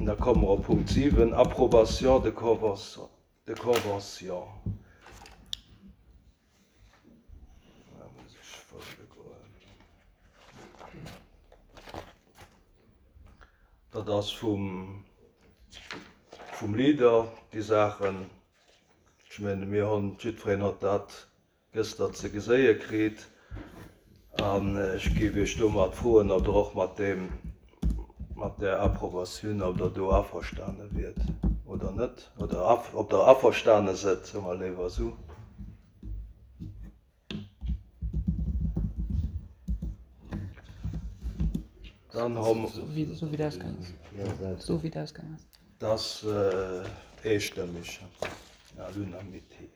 Da komme mer op Punkt 7, Approbation de convention. Da muss ech fouele goen. Dat ass vum, vum Leader, déi Saachen. Ech menge mir hunn, jiddwereen huet dat gëster ze geséie kritt. An ech géif Iech domat froen, ob Der och mat deem, mat där Approbatioun, ob Der do averstane wiert oder net, oder ob Der averstane sëtt, soe mer léiwer esou. Dann hu mer. Esou wéi et ausgaang ass. Esou wéi et ausgaang ass. Dat ass eestëmmeg, à l'unanimité.